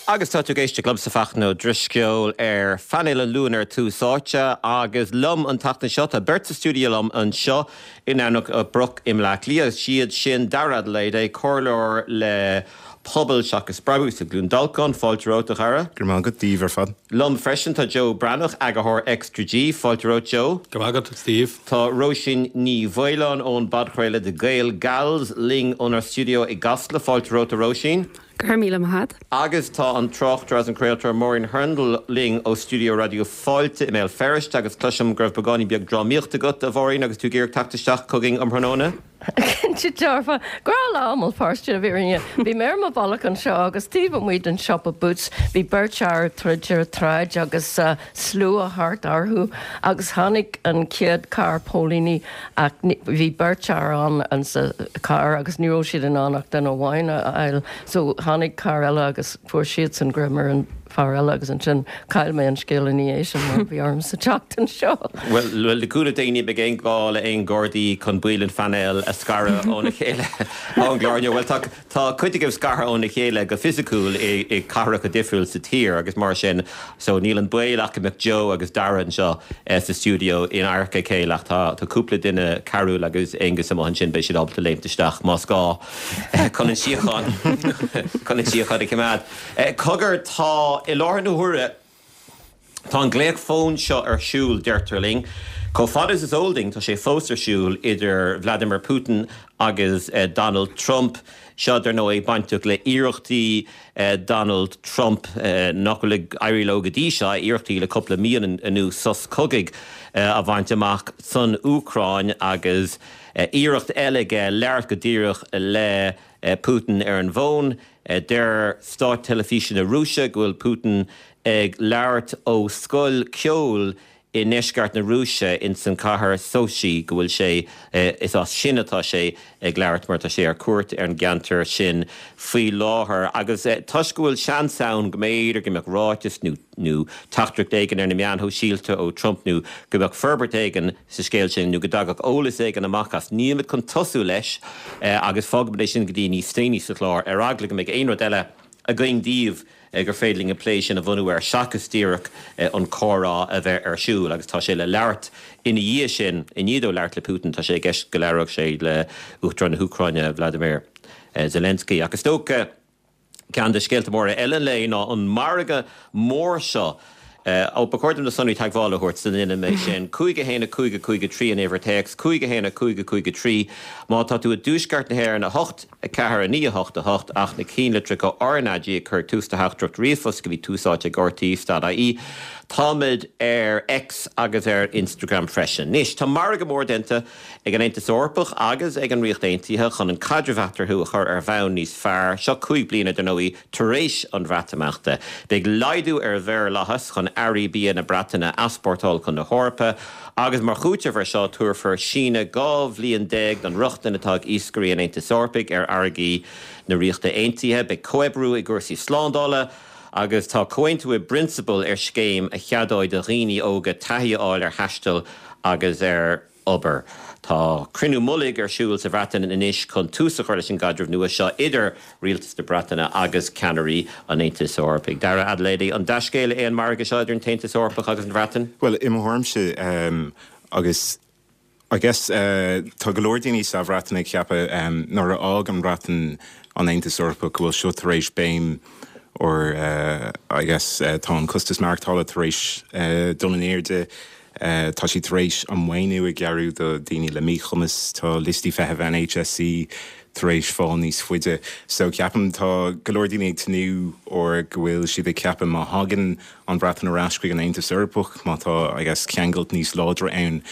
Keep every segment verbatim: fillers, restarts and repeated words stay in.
Agus tá tú ag éisteacht liomsa Fachtna Ó Drisceoil ar phainéal an Luain ar Tús Áite agus liom an tseachtain seo tá beirt sa stiúideo liom anseo i nDomhnach Broc i mBleá Cliath siad sin Dara Adelaide comhairleoir le Pobal seachas Brabús i gCluain Dolcáin fáilte romhat a Dhara. Go raibh maith agat daoibh ar fad. Liom freisin tá Joe Breathnach eagarthóir Extra G fáilte romhat Joe. Go raibh maith agat Steve. Tá Róisín Ní Mhaoláin ón bpodchraoladh The Gael Gals linn ónár stiúideo i gCasla fáilte romhat a Róisín. Go raibh míle maith agat. Agus tá an tráchtaire agus an craoltóir Máirín Hurndall linn ó stiúideo Raidió Fáilte i mBéal Feirste agus cloisim go raibh beagáinín beag drámaíocht agat a Mháirín agus tú ag iarraidh teacht isteach chugainn um thráthnóna. Cinnte dearfa grá lá páiste a bhí Bhí mé ar mo bhealach anseo agus taobh amuigh den siopa Boots bhí beirt fhear troid ar tsráid agus uh, slua thart orthu agus tháinig an chéad carr póilíní ach bhí beirt fhear ann an sa car agus ní raibh siad in ann ach duine amháin a fháil so tháinig carr eile agus fuair siad san greim ar an fear eile agus ansin chaill mé an scéal in éis an mar bhí orm sa teacht anseo. Well well le cúnamh Dé ní bheidh aon ghá le aon Ghardaí chun baill an phainéil a scaradh óna chéile ón gclár. Well tá tá cuid agaibh scartha óna chéile go fisiciúil i, i cathracha difriúil sa tír agus mar sin so níl an baol ach go mbeadh Joe agus Dara anseo eh, sa stiúideo in adharca a chéile ach tá tá cúpla duine Carúil agus Aonghus amuigh ansin beidh siad ábalta léimt isteach más gá eh, chun an síocháin chun an síocháin a choimeád. Eh, Cogar tá i láthair na huaire Tá an glaoch fóin seo ar siúl deirtear linn. Chomh fada is is eol dúinn tá sé fós ar siúl idir Vladimir Putin agus uh, Donald Trump. Seo dar ndóigh bainteach le iarrachtaí uh, Donald Trump uh, nach bhfuil ag éirí leo go dtí seo iarrachtaí le cúpla mí anuas sos cogaidh uh, a bhaint amach san Úcráin agus uh, iarracht eile aige labhairt go díreach le uh, Putin ar an bhfón. Uh, deir Stát Teilifíse na Rúise go bhfuil Putin ag labhairt ó scoil ceoil i ndeisceart na Rúise in san cathair Sochi go bhfuil sé is as sin atá sé ag labhairt mar tá sé ar cuairt ar an gceantar sin faoi láthair agus toisc go bhfuil seans ann go mb'fhéidir go mbeadh ráiteas nó nó teachtaireacht éigin ar na meáin shóisialta ó Trump nó go mbeadh forbairt éigin sa scéal sin nó go dtagadh eolas éigin amach as nílimid chun tosú leis agus fágfaimid é sin go dtí níos déanaí sa chlár ar eagla go mbeidh aon rud eile againn daoibh gur féidir linn an plé sin a bhunú ar seachas díreach an comhrá a bheith ar siúl agus tá sé le labhairt ina dhiaidh sin i ndiaidh dó labhairt le Putin tá sé i gceist go labhródh sé le Uachtarán na hÚcráine Vladimir Zelensky agus dócha ceann de scéalta móra eile le ná an margadh mór seo ó ba chóir dom na sonraí teagmhála a thabhairt san ina mé sin cúig a haon cúig cúig trí an uimhir téacs cúig a haon cúig cúig trí má tá tú i dtuaisceart na hÉireann a hocht a ceathair a naoi a hocht a hocht ach na cinnlitreacha RnaG ag cur tús do theachtaireacht ríomhphost go dtí Tús Áite ag RTÉ dot IE. Táimid ar X agus ar Instagram freisin. Anois tá margadh mór déanta ag an Aontas Eorpach agus ag an Ríocht Aontaithe chun an caidreamh eatarthu a chur ar bhonn níos fearr seo cúig bliana dar ndóigh tar éis an Bhreatimeachta. Beidh laghdú ar mhaorlathas chun earraí bia na Breataine a easpórtáil chun na hEorpa, agus mar chúiteamh ar seo tabharfar síneadh dhá bhliain déag don rochtain atá ag iascairí an Aontais Eorpaigh ar fharraigí na Ríochta Aontaithe, beidh comhoibriú i gcúrsaí slándála, agus tá comhaontú i bprionsabal ar scéim a cheadóidh do dhaoine óga taithí a fháil ar thaisteal agus ar obair. Tá cruinniú mullaigh ar siúl sa Bhreatain anois chun tús a chur leis an gcaidreamh nua seo idir rialtas na Breataine agus ceannairí an Aontais Eorpaigh. Dara Adelaide an dea-scéal é an margadh seo idir an tAontas Eorpach agus an Bhreatain? Well i mo thuairimse um, agus I guess uh, tá go leor daoine sa Bhreatain ag ceapadh um, nuair a d'fhág an Bhreatain an Aontas Eorpach go bhfuil seo tar éis béim or uh, I guess uh, tá an costas maireachtála tar éis uh, dul in airde Uh, tá sí tar éis an maoiniú a ghearradh do daoine le míchumas tá liostaí feithimh NHSC tar éis fáil níos faide. So ceapaim tá go leor daoine ag tnúth or go bhfuil siad ag ceapadh má thagann an Bhreatain ar ais chuig an Aontas Eorpach má tá agus ceangal níos láidre ann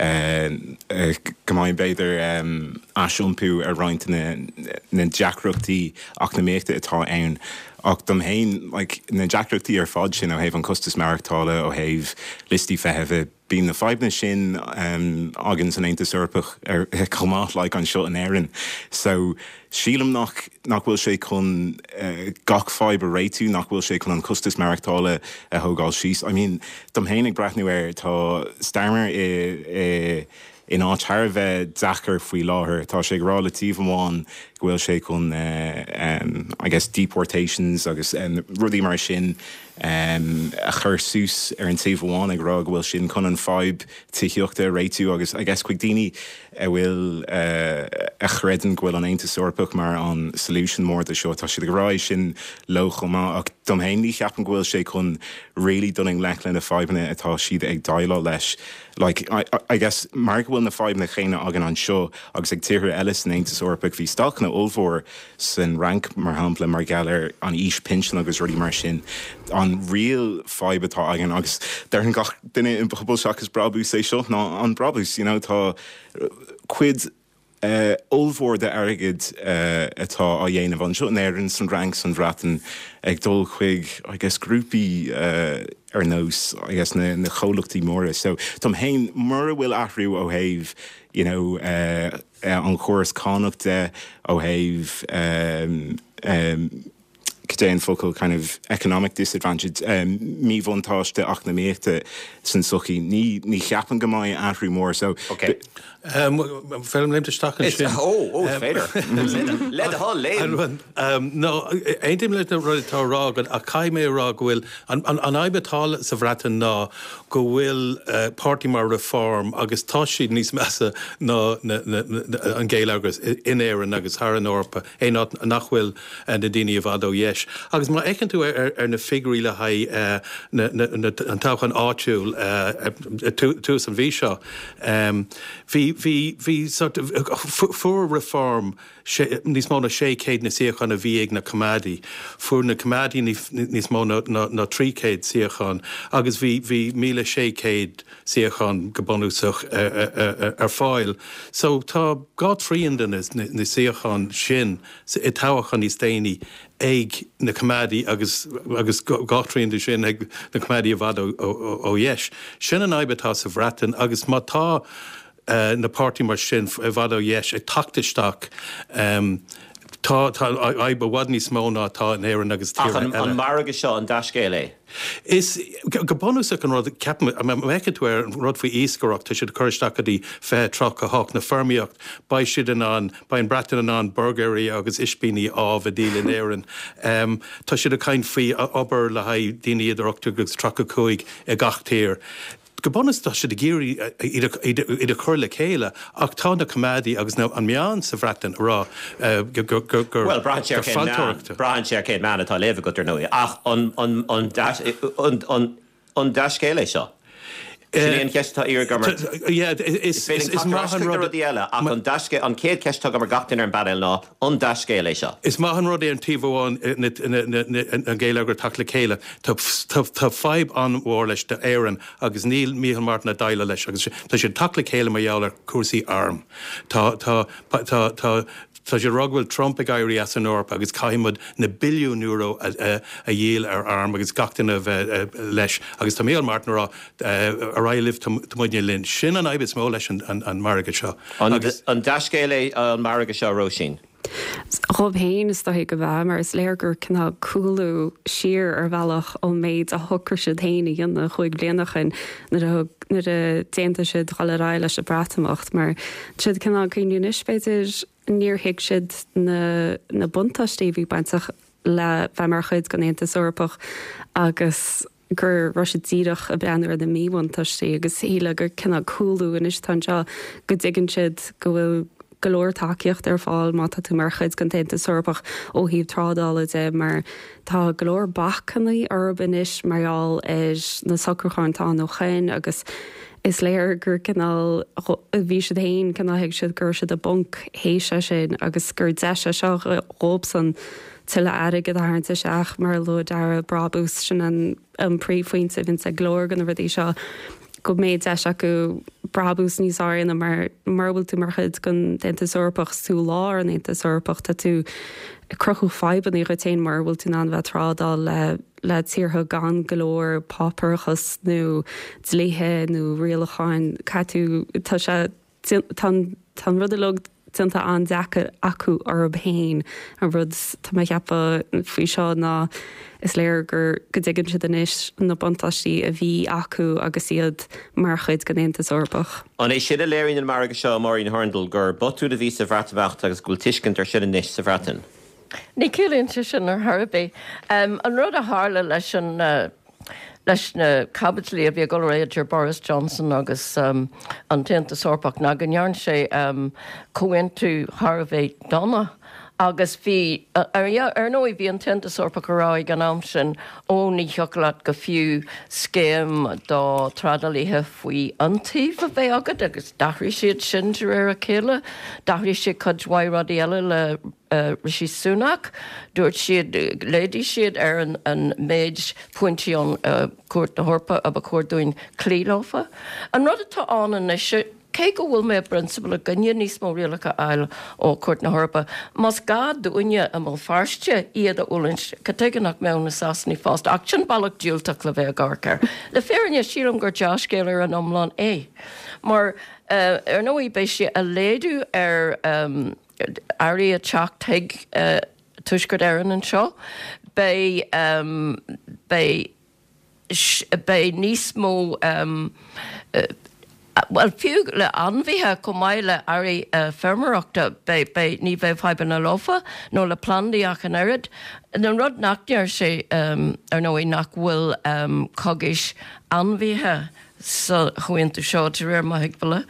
uh, uh, go mbeidh b'fhéidir um, aisiompú ar roinnt na, na deacrachtaí eacnamaíochta atá ann. Ach dom féin like, na deacrachtaí ar fad sin ó thaobh an costas maireachtála ó thaobh liostaí feithimh bíonn na fadhbanna sin um, againn san Aontas Eorpach ar chomh maith like anseo in Éirinn. So sílim nach nach bhfuil sé chun uh, gach fadhb a réitiú nach bhfuil sé chun an costas maireachtála a thógáil síos. I mean, dom féin ag breathnú air tá Starmer i, i in áit thar a bheith deacair faoi láthair. Tá sé ag rá le taobh amháin go bhfuil sé chun uh, um, I guess deportations agus um, rudaí mar sin um, a chur suas ar an taobh amháin ag rá go bhfuil sin chun an fadhb tithíochta a réitiú agus I guess chuig daoine a bhfuil uh, a chreideann go bhfuil an Aontas Eorpach mar an solution mór de seo tá siad ag rá sin leo chomh maith ach dom féin ní cheapaim go bhfuil sé chun really dul i ngleic le na fadhbanna atá siad ag déileáil leis. Like, I, I guess mar go bhfuil na fadhbanna céanna againn anseo agus ag tíortha eile san Aontas Eorpach bhí stailceanna ollmhór san Fhrainc mar shampla mar gheall ar an aois pinsean agus rudaí mar sin an real fadhb atá againn agus deireann gach duine in pobal seachas brabús é seo ná an brabús you know, tá cuid uh, ollmhór de airgead uh, atá á dhéanamh anseo in Éirinn san Fhrainc san Bhreatain ag dul chuig I guess grúpaí uh, ar nós I guess na, na comhlachtaí móra. So dom féin mura bhfuil athrú ó thaobh you know, uh, uh, an chóras cánach de ó thaobh um, um, cad é an focal kind of economic disadvantage um, míbhuntáiste eacnamaíochta san sochaí ní ní cheapaim go mbeidh athrú mór so Okay. Um, Féidir léimt isteach It's- ó, ó, is féidir. Le do thoil léim. Um, no, aontaím leis na rudaí atá á rá agat ach caithfidh mé rá go bhfuil an, an, an fhadhb atá sa Bhreatain ná go bhfuil uh, páirtí mar Reform agus tá siad níos measa ná na, na, na, an géilleagar in Éirinn agus thar an Eorpa é nach bhfuil uh, na daoine i bhfad ó dheis. Agus má fhéachann tú ar, ar, ar na figiúirí le haghaidh uh, na, na, na, an toghchán áitiúil uh, tús an mhí seo. Um, bhí bhí bhí sort of, fuair Reform sé, níos mó ná sé chéad na suíochán a bhí ag na Coimeádaigh. Fuair na Coimeádaigh níos mó ná, ná, ná trí chéad suíochán, agus bhí bhí míle sé chéad suíochán go bunúsach ar, ar, ar fáil. So tá dhá thrian de na, na, na suíocháin sin i toghchán níos déanaí ag na Coimeádaigh agus agus dhá thrian de sin ag na Coimeádaigh i bhfad ó, ó, ó dheis. Sin an fhadhb atá sa Bhreatain agus má tá uh, na páirtí mar sin i bhfad ó dheis ag teacht isteach um, tá tá fadhb i bhfad níos mó ná atá in Éirinn agus Ach an, an margadh seo an dea-scéal é. Is go bunúsach an rud ceapaim tú ar an rud faoi iascaireacht tá siad chur isteach go dtí fiche tríocha hocht na feirmeoireacht, beidh siad in ann beidh an Bhreatain in ann burgairí agus ispíní amh a dhíol in Éirinn. Um, tá siad ag caint faoi obair le haghaidh daoine idir ocht agus tríocha cúig i gach tír. Go bunúsach tá siad ag iarraidh iad a chur le chéile ach tá na Coimeádaigh agus an meán sa Bhreatain rá gur Well braitheann sé cén meán atá léamh agat ar ndóigh ach an an an an an dea-scéal é seo. Sin é an cheist atá agam Is maith an rud eile ach an dea-scéal an chéad cheist agam ar gach duine ar an bpainéal ná an dea-scéal é seo. Is maith an rud é an taobh amháin an géilleagar teacht le chéile Tá fadhb an-mhór leis d'Éirinn agus níl Micheál Martin ag déileáil leis agus tá siad teacht le chéile mar gheall ar cúrsaí arm. Tá tá tá tá Tá sé rá go bhfuil Trump ag éirí as an Eoraip agus caithfimid na billiún euro a dhíol ar arm agus gach duine bheith leis agus tá Micheál Martin rá ar aghaidh libh tá muidne linn. Sin an fhadhb is mó leis an margadh seo. An dea-scéal é an margadh seo Róisín. Dom féin is dóigh go bhfuil mar is léir gur cineál cúlú siar ar bhealach ón méid a shocraigh siad féin a dhéanamh cúig bliana ó shin nuair a d'aontaigh siad dul ar aghaidh leis an Bhreatimeacht mar siad cineál cuimhneamh anois b'fhéidir níor thuig siad na na buntáistí a bhí bainteach le bheith mar chuid den Aontas Eorpach agus gur raibh siad díreach ag breathnú ar na míbhuntáistí agus shíl gur cineál cúlú anois tá seo go dtuigeann siad go bhfuil go leor tacaíocht ar fáil má tá tú mar chuid den Aontas Eorpach ó thaobh trádála de mar tá go leor bacanna orthu anois mar gheall ar na socrúcháin atá ó shin agus is léir gur cineál bhí siad féin cineál thuig siad gur siad i bponc théis sin agus gur deis é seo dóibhsan tuilleadh airgid a tharraingt isteach mar luaigh Dara brabús sin an an príomhphointe bhíonn ag go leor de na rudaí seo go mbeidh deis acu brabús níos airde mar mar bhfuil tú mar chuid den Aontas Eorpach tú lár an Aontas Eorpach tá tú cruthú fadhbanna duit féin mar bhfuil tú in ann bheith trádáil le le tíortha gan go leor páipéarachas nó dlíthe nó rialacháin caithfidh tú tá sé tá rud uilig déanta an-deacair acu orthu féin an rud tá mé ag ceapadh faoi seo ná is léir gur go dtuigeann siad anois na buntáistí a bhí acu agus iad mar chuid den Aontas Eorpach. An é sin a léiríonn an margadh seo Máirín Hurndall gur botún a bhí sa Bhreatimeacht agus go bhfuil tuiscint air sin anois sa Bhreatain. Ní chiallaíonn sé sin ar chor ar bith. Um, an rud a tharla leis an uh, leis na caibidlí a bhí ag dul idir Boris Johnson agus um, an tAontas Eorpach ná go ndearna sé um, comhaontú thar a bheith dona. Agus bhí ar ar ndóigh bhí an tAontas Eorpach ag rá ag an am sin ó ní thiocfadh leat go fiú scéim do trádálaithe faoi iontaoibh a bheith agat agus d'athraigh siad sin de réir a chéile, d'athraigh siad cuid mhaith rudaí eile le uh, Rishi Sunak, dúirt siad laghdaigh siad ar an, an méid pointí an uh, Cúirt na hEorpa a ba chóir dúinn cloí leofa. An rud atá ann anois cé go bhfuil mé i bprionsabal i gcoinne níos mó rialacha a fháil ó Chúirt na hEorpa, Más gá dúinne i mBéal Feirste iad a fhulaingt, cad chuige nach mbeadh na Sasanaigh fosta, ach sin bealach diúltach le bheith ag amharc air. Le fírinne sílim gur dea-scéal ar an iomlán é. Mar uh, ar ndóigh beidh sé ag laghdú ar um, earraí ag teacht chuig uh, Tuaisceart Éireann anseo, beidh um, beidh beidh níos mó um, uh, Well fiú le ainmhithe chomh maith le earraí uh, feirmeoireachta beidh ní bheidh fadhbanna leofa nó le plandaí ach an oiread. An rud nach ndeir sé um, ar ndóigh nach bhfuil um, cogaisc ainmhithe sa chomhaontú seo de réir mo thuigbheála.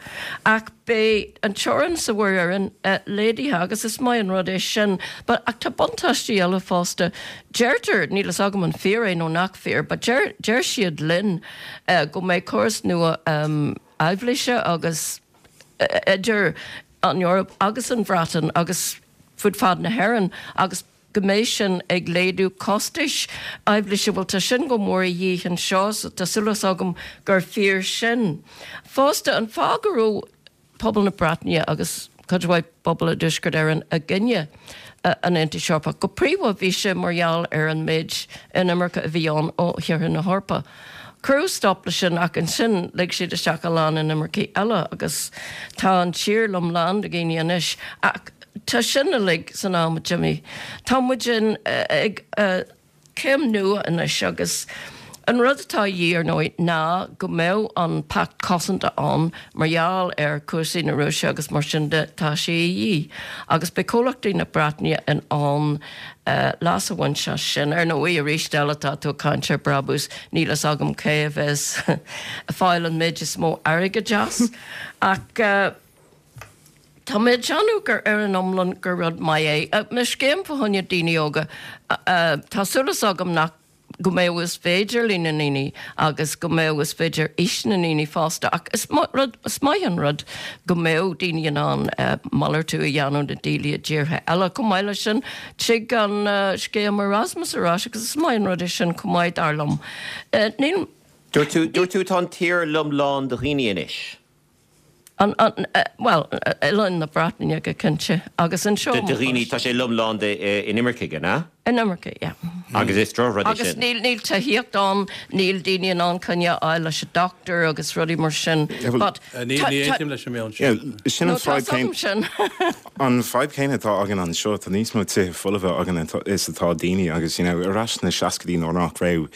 Ach beidh an teorainn sa Mhuir Éireann uh, laghdaithe agus is maith an rud é sin, but ach tá buntáistí eile fosta. Deirtear níl a fhios agam an fíor é nó nach fíor, but deir, deir siad linn uh, go mbeidh córas nua um, aibhléise agus uh, idir an Eoraip agus an Bhreatain agus fud fad na hÉireann agus go mbeidh sin ag laghdú costais aibhléise bhfuil tá sin go mór a dhíth anseo so tá súil agam gur fíor sin. Fosta an fáth go raibh pobal na Breataine agus cuid mhaith pobal i dTuaisceart Éireann i gcoinne an Aontais Eorpach. Go príomha bhí sé mar gheall ar an méid inimirce a bhí ann ó thíortha na hEorpa. Cuireadh stop leis sin ach ansin lig siad isteach a lán inimircigh eile agus tá an tír lom lán de dhaoine anois ach tá sin uilig san am Jimmy. Tá muid in ag céim nua anois agus an rud atá de dhíth ar ndóigh ná go mbeadh an pact cosanta ann mar gheall ar chúrsaí na Rúise agus mar sin de tá sé de dhíth. Agus beidh comhlachtaí na Breataine in ann uh, leas a bhaint as sin ar ndóigh arís eile tá tú ag caint ar brabús níl a fhios agam cé a bheas ag fáil an méid is mó airgid as ach uh, Tá mé ag déanamh gur ar an iomlán gur rud maith é. Me scéim fá choinne daoine óga tá súil agam nach go mbeidh is féidir le na ndaoine agus go mbeidh is féidir is na ndaoine fosta ach is rud is maith an rud go mbeidh daoine in ann uh, malartú a dhéanamh na daoine i dtíortha eile chomh maith leis sin tig an uh, scéim Erasmus ar ais agus is maith an rud é sin chomh maith dar liom. Uh, níl Dúirt tú tá an tír lom lán de dhaoine anois. An, an, uh, well, oileán na Breataine go cinnte agus anseo De dhaoine tá sé lom lán de inimircigh na? Inimirce, yeah. Agus is droch Agus níl níl tithíocht ann níl daoine in ann coinne a fháil leis an doctor agus rudaí mar sin. But Ní aontaím leis an meon sin. Sin an fadhb sin. An fadhb céanna atá againn anseo tá níos mó tithe folmha againn is atá daoine agus you know, ar ais na seascaidí nuair nach raibh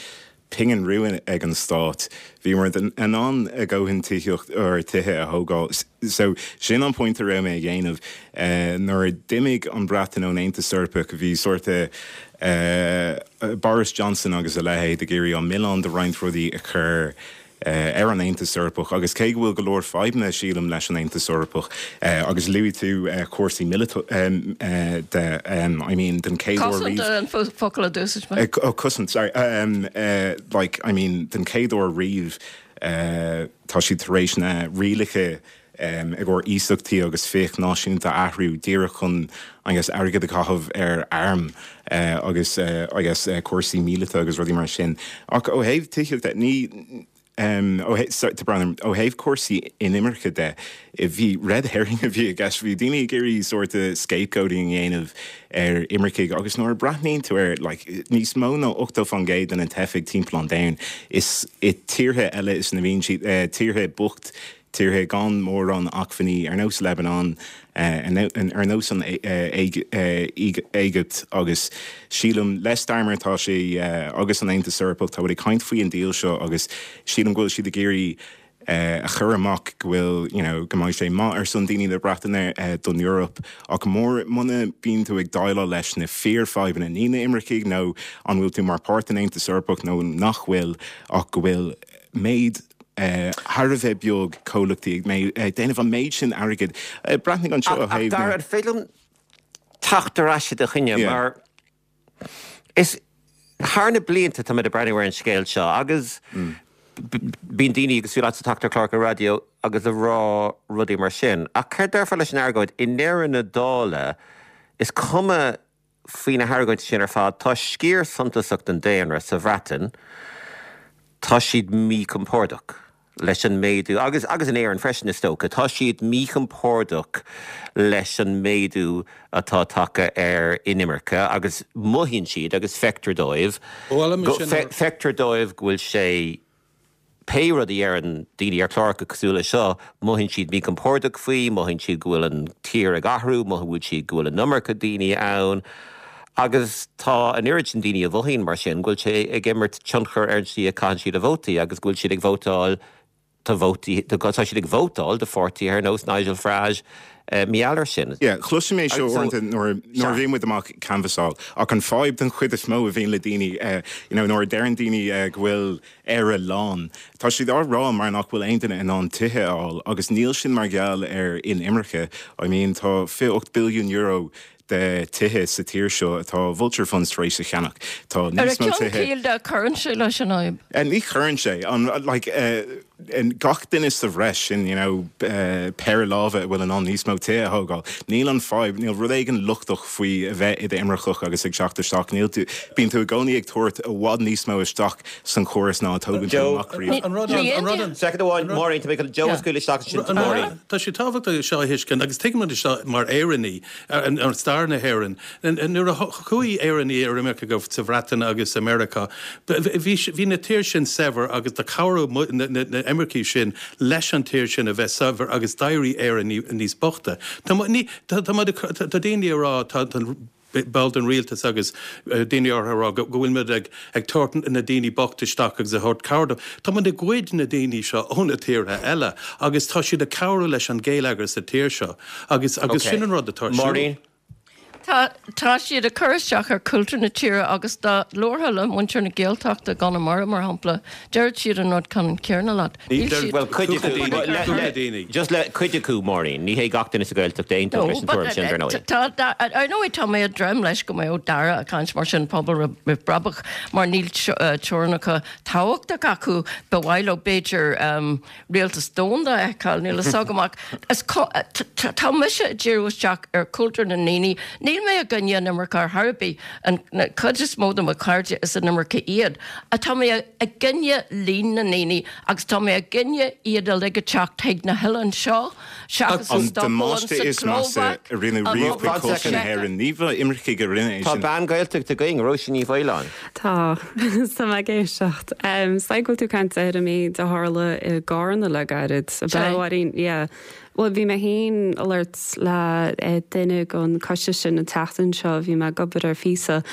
pingin rua ag an stát. Bhí mar an an a gcóhan tithíocht ar tithe a thógáil. So sin an pointe a raibh mé ag déanamh uh, nuair a d'imigh an Bhreatain ón Aontas Eorpach bhí sort uh, Boris Johnson agus a leithéid ag iarraidh an milleán de roinnt rudaí a chur uh, ar an Aontas Eorpach agus cé go bhfuil go leor fadhbanna sílim leis an Aontas Eorpach uh, agus luaigh tú uh, cúrsaí míleata um, uh, de um, I mean den chéad uair an focal a d'úsáid uh, oh, cosaint sorry um, uh, like I mean den chéad uair riamh uh, tá siad tar éis na rialacha um, i gcomhair iasachtaí agus fiach náisiúnta athrú díreach chun agus airgead a chaitheamh ar arm uh, agus uh, agus uh, cúrsaí míleata agus rudaí mar sin. Ach ó thaobh tithíochta ní Um, ó ó thaobh cúrsaí inimirce de bhí red herring a bhí gas bhí daoine ag iarraidh sort scapegoating a dhéanamh ar imircigh agus nuair a bhreathnaíonn tú ar like, níos mó ná ochtó faoin gcéad de na teifigh timpeall an domhain is i tíortha eile is na bhíonn siad uh, tíortha bocht tíortha gan mórán acmhainní ar nós Lebanon ar nós an Éigipt agus sílim le Starmer tá sé agus an Aontas Eorpach tá ag caint faoi an deal seo agus sílim go bhfuil siad ag iarraidh a chur amach go bhfuil you know, go mbeidh sé maith ar son daoine na Breataine don Eoraip ach mór muna bíonn tú ag déileáil leis na fíorfhadhbanna ní na imircigh nó an bhfuil tú mar páirt den Aontas Eorpach nó nach bhfuil ach go bhfuil méid thar a bheith beag comhlachtaí ag déanamh an méid sin airgid. Breathnaigh anseo Ach Dara an féidir liom teacht ar ais i do choinne mar is thar na blianta tá mé ag breathnú ar an scéal seo agus bíonn daoine agus fiú leatsa ag teacht ar chláracha raidió agus ag rá rudaí mar sin. Ach céard déarfá leis an argóint i ndeireadh na dála is cuma faoi na hargóintí sin ar fad, tá sciar suntasach den daonra sa Bhreatain, tá siad míchompordach leis an méadú, agus agus in Éirinn freisin is dócha, tá siad míchompordach leis an méadú atá tagtha ar inimirce agus mothaíonn siad agus feictear dóibh, feictear dóibh go bhfuil sé pé rud a deireann daoine ar chláracha cosúil le seo, mothaíonn siad míchompordach faoi, mothaíonn siad go bhfuil an tír ag athrú, mothaíonn siad go bhfuil an iomarca daoine ann. Agus tá an oiread sin daoine a mhothaíonn mar sin go bhfuil sé ag imirt tionchar ar an tslí a caitheann siad a vótaí agus go bhfuil siad ag vótáil do vótaí, tá siad ag vótáil do pháirtithe ar nós Nigel Farage mar gheall air sin. Yeah, chloisim é seo uaireanta nuair nuair a bhíonn muid amach ag canbhasáil ach an fadhb den chuid is mó a bhíonn le daoine you know nuair a deireann daoine go bhfuil Éire lán, tá siad á rá mar nach bhfuil aon duine in ann tithe a fháil agus níl sin mar gheall ar inimirce. I mean tá fiche ocht billiún euro de tithe sa tír seo atá vulture funds tar éis a cheannach. Tá níos mó tithe. Ar a ceann cíl de, cuireann sé leis an fhadhb. Ní chuireann sé. An like gach duine sa bhreis sin you know péire lámha a bhfuil in ann níos mó tithe a thógáil. Níl an fadhb, níl rud éigin lochtach faoi a bheith i d'imirceach agus ag teacht isteach. Níl tú, bíonn tú i gcónaí ag tabhairt i bhfad níos mó isteach san chóras ná a tógann tú amach riamh. An rud, an rud, an. Soicind amháin, Máirín, tá mé chun Joe a scaoileadh isteach ansin. Máirín. Tá sé tábhachtach seo a thuiscint agus tuigimid seo mar Éireannaigh ar stair na hÉireann. Nuair a chuaigh Éireannaigh ar imirce go sa Bhreatain agus i Meiriceá, bhí na tír sin saibhir agus do chabhraigh na imircigh sin leis an tír sin a bheith saibhir agus d'éirigh Éire níos boichte. Tá daoine ag rá, tá ball den rialtas agus daoine áirithe ag rá go bhfuil muid ag tabhairt na daoine bochta isteach agus ag thabhairt cabhair dóibh. Tá muid ag goid na daoine seo ó na tíortha eile agus tá siad ag cabhrú leis an géilleagar sa tír seo agus agus sin an rud atá ar siúl. Máirín? Tá tá siad ag cur isteach ar chultúr na tíre agus dá labharfá le muintir na Gaeltachta i gConamara mar shampla, déarfadh siad an rud ceannann céanna leat. Níl siad Bhuel, cuid acu, daoine. just le cuid acu, Máirín, ní hé gach duine sa Ghaeltacht a aontódh leis an tuairim sin, dar ndóigh. Tá, ar ndóigh tá mé ag dréim leis go mbeadh Dara ag caint mar sin Pobal Roimh Bhrabach mar níl teorainneacha tábhachtach acu, ba mhaith leo b'fhéidir rialtas domhanda a fheiceáil, níl a fhios agam ach is tá mise ag díriú isteach ar chultúr na ndaoine, níl mé i gcoinne an imirce ar chor ar bith, an chuid is mó de mo chairde is inimircigh iad, ach tá mé i gcoinne líon na ndaoine agus tá mé i gcoinne iad uilig ag teacht chuig na hoileáin seo seachas an damáiste is measa a rinneadh riamh chuig cultúr na hÉireann. Ní imircigh a rinne é Tá sin. bean Gaeltachta againn, Róisín Ní Mhaoláin. Tá. Tá mé ag éisteacht. Is dóigh go bhfuil tú ag caint ar an méid a tharla i gCarna le gairid. Sé. Bhuel, yeah. Bhuel, bhí mé féin ag labhairt le duine den choiste sin an tseachtain seo, bhí mé ag obair ar phíosa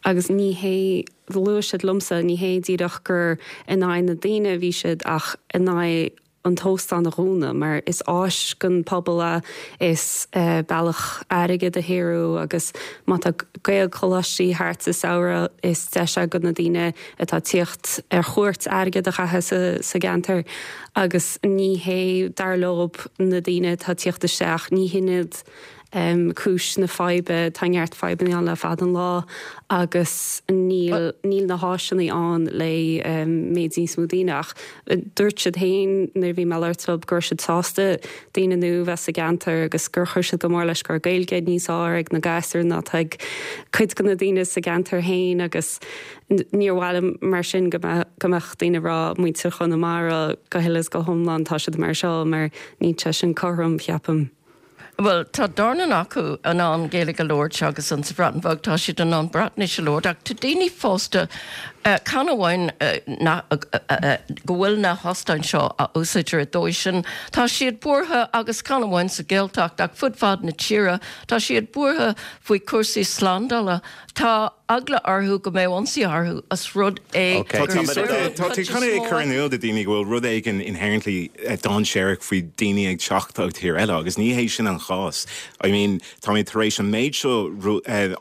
agus ní hé, luaigh siad liomsa, ní hé díreach gur in aghaidh na daoine a bhí siad ach in aghaidh an t-óstán a dhúnadh mar is áis don pobal é, is bealach airgead a shaothrú agus má tá Gaelcholáistí thart sa samhradh is deis é do na daoine atá ag tíocht ar chuairt airgead a chaitheamh sa gceantar agus ní hé dar leob na daoine atá ag tíocht isteach, ní hin iad cúis na faidhbe, tá neart fadhbanna ann le fada an lá agus níl níl na háiseanna ann le méid níos mó daoine ach dúirt siad féin nuair a bhí mé ag labhairt leo go raibh siad sásta daoine nua bheith sa gceantar agus gur chuir siad go mór leis go raibh Gaeilge níos fearr ag na gasúir ná atá ag cuid de na daoine sa gceantar féin agus níor mhaith liom mar sin go mbeadh go mbeadh daoine ag rá muintir Chonamara go huile is go hiomlán tá siad mar seo mar níl sé sin cothrom cheapaim. Well, tá dornán acu in ann Gaeilge a labhairt agus an sa Bhreatain Bheag tá siad in ann Breatnais a labhairt ach tá daoine fásta uh, chan amháin uh, na, uh, uh, go bhfuil na hóstáin seo a úsáidtear dóibh sin tá siad buartha agus chan amháin sa Ghaeltacht ach fud fad na tíre tá siad buartha faoi cúrsaí slándála Tá eagla orthu go mbeidh ionsaí orthu as rud é Tá tú chun é chur in iúl do daoine go bhfuil rud éigin inherently dainséarach faoi daoine ag teacht ó tír eile agus ní hé sin an chás. I mean tá mé tar éis an méid seo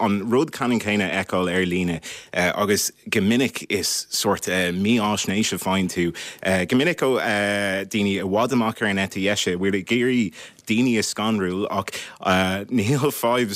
an rud ceannann céanna a fheiceáil ar líne agus go minic is sort mífhaisnéis a fhaigheann tú. Go minic ó daoine i bhfad amach ar an eite dheise bhfuil ag iarraidh daoine a scanrú ach níl fadhb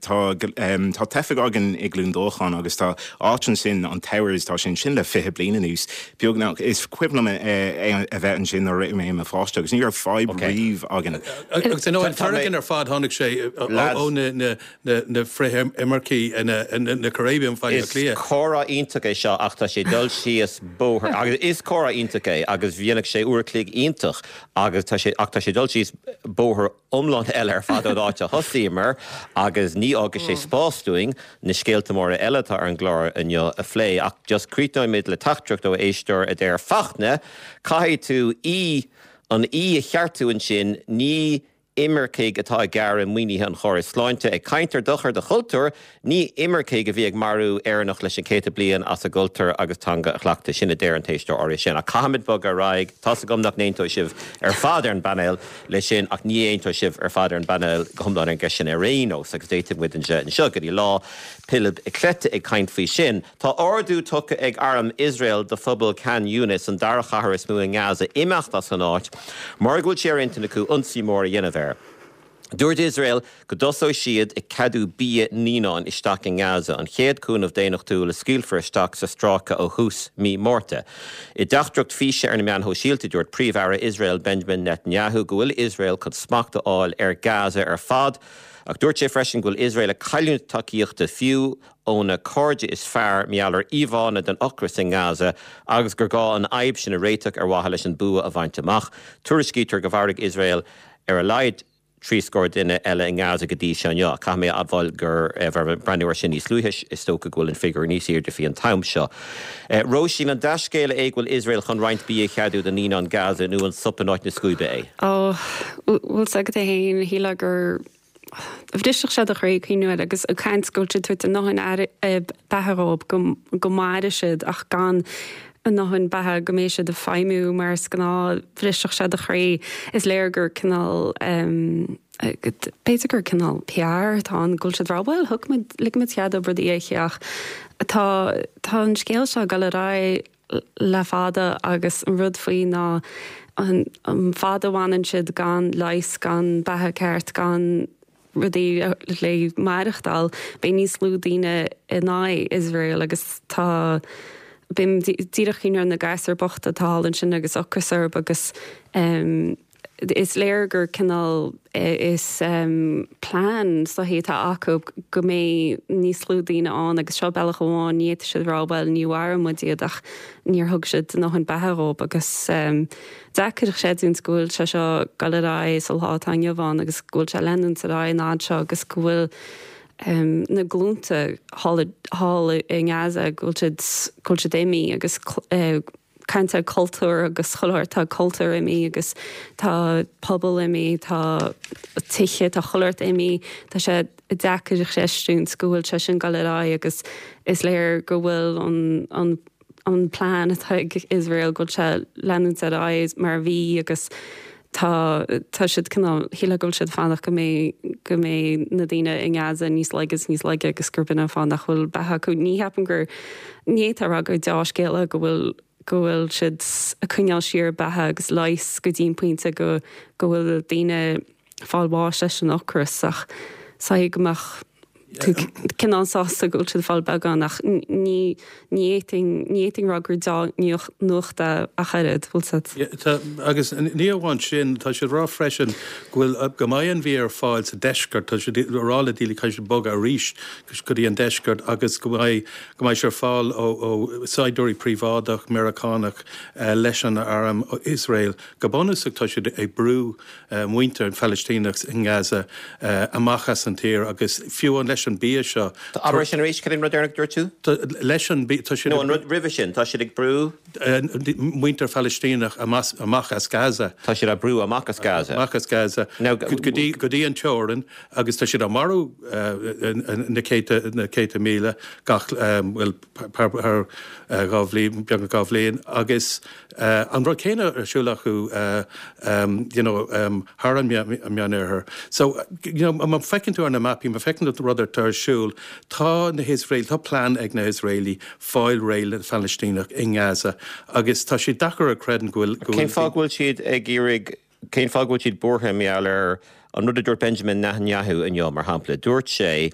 tá tá teifigh againn i gCluain Dolcáin agus tá áit ansin an Towers tá sin sin le fiche bliain anuas. Beagnach is cuimhin liom a bheith ansin nuair mé i mo pháiste agus ní raibh fadhb riamh againn. Agus an foréigean ar fad tháinig sé ó na na frith-imircigh na Caribbean Baile Is comhrá iontach é seo ach tá sé dul síos bóthar agus is comhrá iontach é agus bhíonn sé uair chloig iontach agus tá sé ach tá sé dul síos bóthar iomlán eile ar fad ón áit a thosaíomar agus ní fhágfaidh sé spás dúinn na scéalta móra eile atá ar an gclár inniu a phlé ach just críochnóimid le teachtaireacht ó éisteoir a deir Fachtna, caithfidh tú í an í a cheartú ansin ní imircigh atá ag gearradh maoinithe an chórais sláinte ag caint ar dochar do chultúr, ní imircigh a bhí ag marú Éireannach leis an céadta bliain as a gcultúr agus teanga a chleachtadh sin a deir an t-éisteoir áirithe sin. Ach caithfimid bogadh ar aghaidh, tá's agam nach n-aontóidh sibh ar fad ar an bpainéal leis sin ach ní aontóidh sibh ar fad ar an bpainéal go hiomlán ar an gceist sin ar aon nós agus d'fhéadfadh muid anseo go dtí lá Pilib Cleite ag caint faoi sin. Tá ordú tugtha ag arm Iosrael do phobal Khan Younis an dara chathair is mó i nGaza imeacht as an áit mar go bhfuil sé ar intinn acu ionsaí mór a dhéanamh air. Dúirt Iosrael go dtosóidh siad ag ceadú bia naíonán isteach i nGaza, an chéad cúnamh daonnachtúil a scaoilfear isteach sa stráice ó thús mí Márta. I dteachtaireacht físe ar na meáin shóisialta dúirt Príomh-Aire Iosrael Benjamin Netanyahu go bhfuil Iosrael chun smacht a fháil ar Gaza ar fad, ach dúirt sé freisin go bhfuil Iosrael ag cailliúint tacaíochta fiú óna cairde is fearr mar gheall ar íomhánna den ocras i nGaza agus gur gá an fhadhb sin a réiteach ar mhaithe leis an bua a bhaint amach. Tuairiscítear go mharaigh Iosrael ar a laghad trí scór duine eile i nGaza go dtí seo inniu. Caithfidh mé a admháil gur breathnú air sin níos luaithe is dócha go bhfuil an figiúr níos airde faoi an t-am seo. Róisín an dea-scéala é go bhfuil Iosrael chun roinnt bia a cheadú do naíonáin Gaza nó an sop in áit na scuaibe é? Ó, bhfuil 's agat é féin, shílfeá gur bhrisfeadh sé do chroí cuimhniú air agus ag caint go bhfuil siad ag tabhairt a ndóthain beatha dhóibh go mairfidh siad ach gan a ndóthain beatha go mbeidh siad ag feidhmiú mar is gnáth, bhrisfeadh sé do chroí. Is léir gur cineál b'fhéidir gur cineál PR atá ann go bhfuil siad ag rá bhuel thug muid lig muid cead dóibh rudaí a ithe ach tá tá an scéal seo ag dul ar aghaidh le fada agus an rud faoi ná an an fad a bhfanann siad gan leigheas gan beatha ceart gan rudaí le maireachtáil beidh níos lú daoine in aghaidh Iosrael agus tá bím díreach ag cuimhniú ar na gasúir bochta atá thall ansin agus ocras orthu agus is léir gur cineál is plean sochaí atá acu go mbeidh níos lú daoine ann agus seo bealach amháin ní fhéadfaidh siad rá bhuel ní mharaigh muid iad ach níor thug siad a ndóthain beatha dhóibh agus deacair a chreidiúint go bhfuil sé seo ag dul ar aghaidh sa lá atá inniu ann agus go bhfuil sé ag leanúint ar aghaidh an fhad seo agus go bhfuil na glúnta thall thall i nGaza go bhfuil siad go bhfuil siad imithe agus caint ar cultúr agus chuile shórt tá cultúr imithe agus tá pobal imithe tá tithe tá chuile shórt imithe tá sé deacair a chreistiúint go bhfuil sé sin ag dul ar aghaidh agus is léir go bhfuil an an an plean atá ag Iosrael go bhfuil sé leanúint ar aghaidh mar a bhí agus tá tá siad cineál shílfeá go bhfuil siad fanacht go mbeidh go mbeidh na daoine i nGaza níos laige is níos laige agus gurb in an fáth nach bhfuil beatha acu. Ní cheapaim gur ní fhéadfá a rá gur dea-scéala go bhfuil go bhfuil siad ag coinneáil siar beatha agus leigheas go dtí an pointe go go bhfuil daoine ag fáil bháis leis an ocras ach saghas go mbeadh tú cineál sásta go bhfuil siad ag fáil beagán ach ní ní fhéadfainn ní fhéadfainn rá gur dea-nuacht é ach oiread, bhfuil siad. Tá agus ní amháin sin, tá siad ag rá freisin go bhfuil go mbeidh an bia ar fáil sa deisceart, tá siad ag rá le daoine caithfidh siad bogadh arís go dtí an deisceart agus go mbeidh go mbeidh sé ar fáil ó ó saighdiúirí príobháideach Meiriceánach leis an arm Iosrael. Go bunúsach tá siad ag brú muintir an Phalaistíneach i nGaza amach as an tír agus fiú an leis an bia seo. Abair sin arís, cad é an rud deireanach a dúirt tú? Leis an bia, tá siad. No, an rud roimhe sin, tá siad ag brú. Muintir Phalaistíneach amach as Gaza. Tá siad á brú amach as Gaza. Amach as Gaza. Go dtí go dtí an teorainn agus tá siad á marú na céadta na céadta míle gach bhuel thar dhá bhliain, beagnach dhá bhliain agus an rud céanna ar siúl acu you know thar an Meánoirthear. So you know má feiceann tú ar na mapaí, má feiceann tú rud atá ar siúl, tá na hIosrael, tá plean ag na hIosraelaigh fáil réidh le Palaistíneach i nGaza agus tá sé deacair a chreidiúint go bhfuil go bhfuil Cén fáth go bhfuil siad ag iarraidh, cén fáth go bhfuil siad buartha mar gheall ar an rud a dúirt Benjamin Netanyahu inniu, mar shampla? Dúirt sé,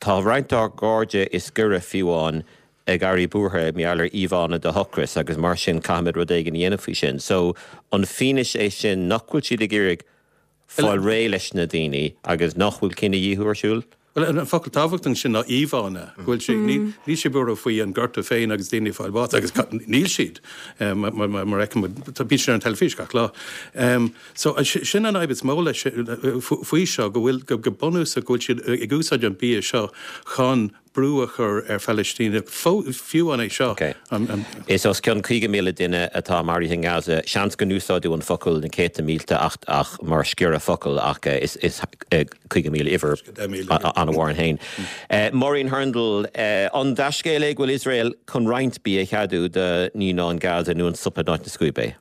tá roinnt dár gcairde is gaire fiú amháin ag éirí buartha mar gheall ar íomhánna de ocras agus mar sin caithfimid rud éigin a dhéanamh faoi sin. So an fianaise é sin nach bhfuil siad ag iarraidh fáil réidh leis na daoine agus nach bhfuil cinedhíothú ar siúl? Bhuel, an focal tábhachtach ansin ná íomhánna, go bhfuil sé, níl siad buartha faoi an gorta féin agus daoine ag fáil bháis, agus níl siad, mar a fheicimid, bíonn siad ar an teilifís gach lá. So, sin an fhadhb is mó leis, faoi seo, go bhfuil, go bunúsach, go bhfuil siad ag úsáid an bia seo chun brú a chur ar Phalaistínigh, fiú an é seo. Is os cionn caoga míle duine atá maraithe i nGaza. Seans go n-úsáideadh an focal na céadta mílte ach ach mar sciorradh focal ach is is caoga míle uimhir an-mhór ann féin. Maureen Hurndall, an dea-scéal é go bhfuil Iosrael chun roinnt bia a cheadú do naíonáin Gaza nó an sop in áit na scuaibe é?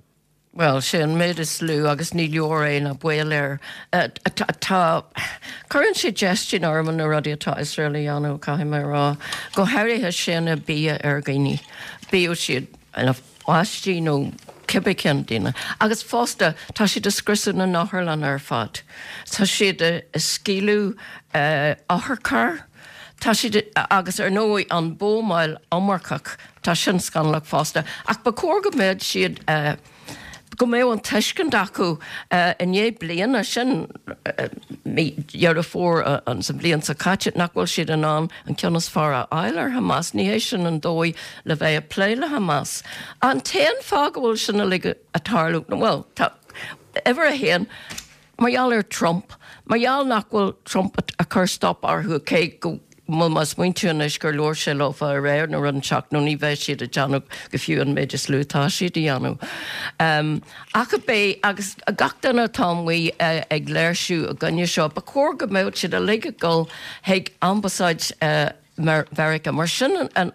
Bhuel, sé an méid is lú agus ní leor é ná baol air. Tá, cuireann sé déistin orm na rudaí atá Iosrael a dhéanamh, caithfidh mé a rá. Go háirithe séanadh bia ar dhaoine, bíodh siad ina bpáistí nó cibé cén duine. Agus fosta, tá siad ag scriosadh na n-otharlann ar fad. Tá siad ag scaoileadh otharchairr. Tá siad, agus ar ndóigh an buamáil iomarcach, tá sin scannalach fosta. Ach ba chóir go mbeadh siad, go mbeadh an tuiscint acu i ndiaidh bliana, sin mí Dheireadh Fómhair an sa bhliain seo caite, nach bhfuil siad in ann an ceann is fearr a fháil ar Hamas. Ní hé sin an dóigh le bheith ag plé le Hamas. An t-aon fáth go bhfuil sin uilig ag tarlú, bhuel, tá, uimhir a haon, Mar gheall ar Trump, mar gheall nach bhfuil Trump ag cur stop orthu, cé go bhfuil mé ag smaointiú anois gur labhair sé leofa aréir nó rud inteacht nó ní bheidh siad ag déanamh go fiú an méid is lú atá siad a dhéanamh. Ach a b'é agus gach duine atá amuigh ag léirsiú i gcoinne seo, ba chóir go mbeadh siad uilig ag dul chuig ambasáid Mheiriceá mar sin an